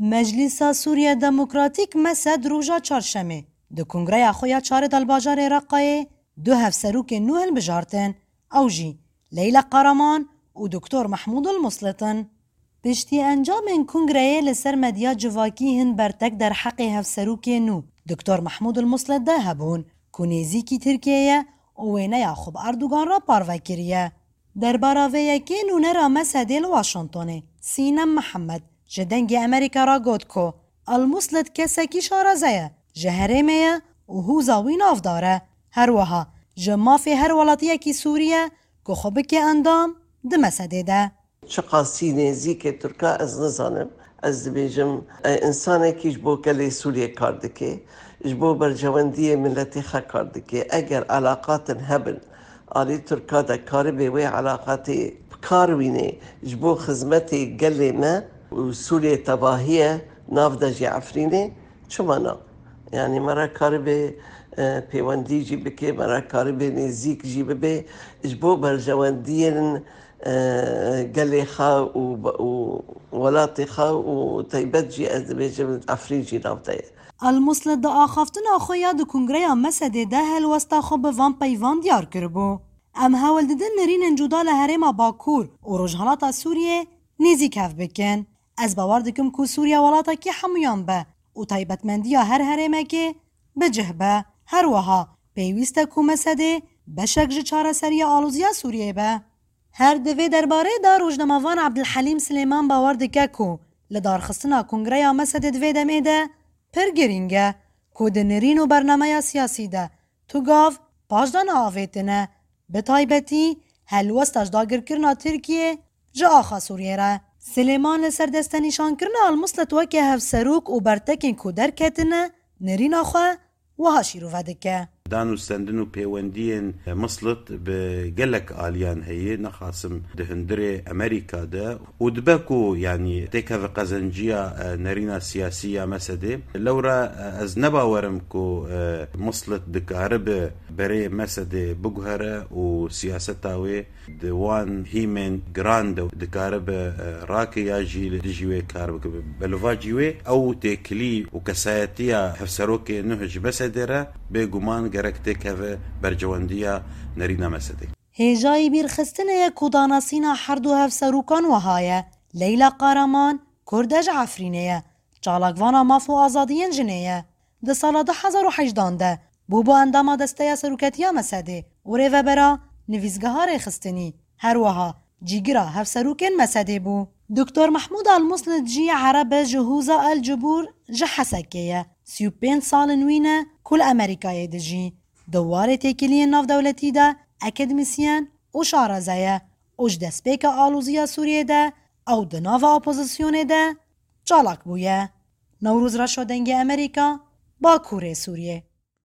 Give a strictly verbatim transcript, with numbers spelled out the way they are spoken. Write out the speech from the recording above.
Meclîsa Sûriye Demokratîk, MESED, roja çarşemê di kongreya xwe ya çarê de li bajarê Reqayê du hevserokên nû hilbijartin. Ew jî Leyla Qaraman û Doktor Mehmûd El Muslit in. Piştî encamên kongreyê li ser medya civakî hin bertek derheqê hevserokê nû Doktor Mehmûd El Muslit de hebûn ku nêzîkî Tirkiyê ye û wêneya xwe bi Erdogan re parve kiriye. Derbara vê yekê nûnera MESEDê li Washingtonê Sînem Mihemed ji Dengê Amerîka re got ku Al-Muslit kesekî şareze ye, ji herêmê ye û hûza wî navdar e. Her wiha ji mafê her welatiyekî Sûrî ye ku xwe bike endam di MESEDê de. Çiqasî nêzîkê Tirka ez nizanim. Ez dibêjim, e, însanekî ji bo gelê Sûriyê kar dike, ji bo berjewendiyê miletê xwe kar dike. Eger elaqatin hebin, alî Tirka de karibê wê elaqatê bi kar wînê ji bo xizmetê gelê me û Sûriyê tevahî ye, nav de jî Efrînê, çima na? Yanî me re karibê, e, pêwendî jî bike, me re karibê nêzîk jî bibe, ji bo berjewendiyên, e, gelê xwe û, û welatê xwe û taybet jî ez dibêjim Efrîn jî nav de ye. Al-Muslit di axaftina xwe ya di kongreya MESEDê de helwesta xwe bi van peyvan diyar kiribû. Em hewl didin nirînên cuda li herêma Bakur û Rojhilata Sûriyê nêzîk hev bikin. Ez bawer dikim ku Sûriye welatekî hemûyan be û taybetmendiya her herêmekê bi cih be. Her wiha pêwîst e ku MESEDê beşek ji çareseriya aloziya Sûriyê be. Her di vê derbarê de rojnamevan Ebdilhelîm Silêman bawer dike ku lidarxistina kongreya MESEDê di vê demê de pir girîng e ku di nirîn û bernameya siyasî de tu gav paş de neavêtine, bi taybetî helwesta ji dagirkirina Tirkiyê ji axa Sûriyê re. Silêman li ser destenîşankirina Al-Muslit weke hevserok û bertekên ku derketine nirîna xwe wiha şîrove dike. Dan û stendin û pêwendiyên Muslit bi gelek aliyan heye, nexasim di hundirê Amerîka de û dibe ku, yanî, têkeve qezenciya, e, nerîna siyasî ya MESEDê. Lewra, e, ez nebawerim ku, e, Muslit dikaribe berê MESEDê biguhere û siyaseta wê di wan hîmên giran de dikaribe, e, rake ya jî li dijî wê kar bikibe. Belûvacî wê ew têkilî û kesayetiya hevserokê nuh ji MESEDê re bêguman gerek têkeve berjewendiya nerîna MESEDê. Hêjayî bîrxistinê ye ku danasîna her du hevserokan wiha ye. Leyla Qaraman, Kurd e, ji Efrînê ye. Çalakvana maf û azadiyên jinê ye. Di sala du hezar û hejdan de bûbû endama Desteya Seroketiya MESEDê û rêvebera Nivîsgeha Rêxistinî. Her wiha cîgira hevserokên MESEDê bû. Doktor Mehmûd Al-Muslit jî Ereb e, ji hûza El Cibûr ji Hesekê ye. Sî û pênc sal in wî ne ku li Amerîkayê dijî. Di warê têkiliyên navdewletî de akademîsyen û şareze ye û ji destpêka aloziya Sûriyê de ew di nava opozisyonê de çalak bûye. Newroz Reşo, Dengê Amerîka, Bakurê Sûriyê.